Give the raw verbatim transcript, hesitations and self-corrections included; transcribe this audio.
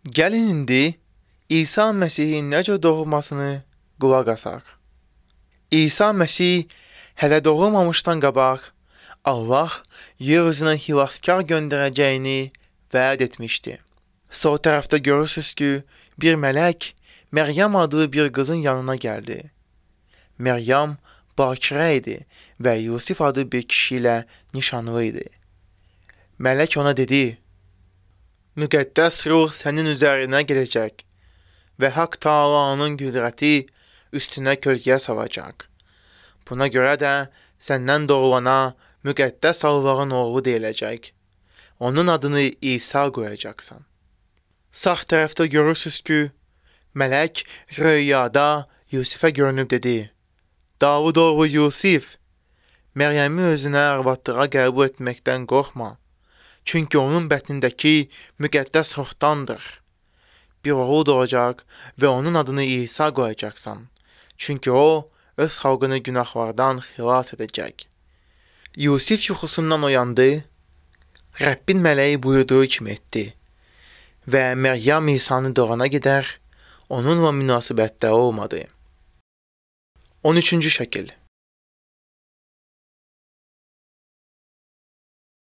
Gəlin indi İsa Məsihin necə doğulmasını qulaq asaq. İsa Məsih hələ doğulmamışdan qabaq Allah yer üzünə xilaskar göndərəcəyini vəd etmişdi. Sol tərəfdə görürsünüz ki, bir mələk Məryəm adlı bir qızın yanına gəldi. Məryəm bakirə idi və Yusif adlı bir kişi ilə nişanlı idi. Mələk ona dedi: "Müqəddəs ruh sənin üzərinə gələcək və Haqq Taalanın qüdrəti üstünə kölgə salacaq. Buna görə də səndən doğulana müqəddəs Allahın oğlu deyiləcək. Onun adını İsa qoyacaqsan." Sağ tərəfdə görürsünüz ki, mələk röyada Yusifə görünüb dedi: "Davud oğlu Yusif, Məryəmi özünə arvadlığa qəbul etməkdən qorxma. Çünki onun bətnindəki müqəddəs ruhdandır. Bir oğul doğacaq və onun adını İsa qoyacaqsan. Çünki o, öz xalqını günahlardan xilas edəcək." Yusif yuxusundan oyandı, Rəbbin mələyi buyurduğu kimi etdi və Məryəm İsanı doğana qədər onunla münasibətdə olmadı. on üçüncü şəkil.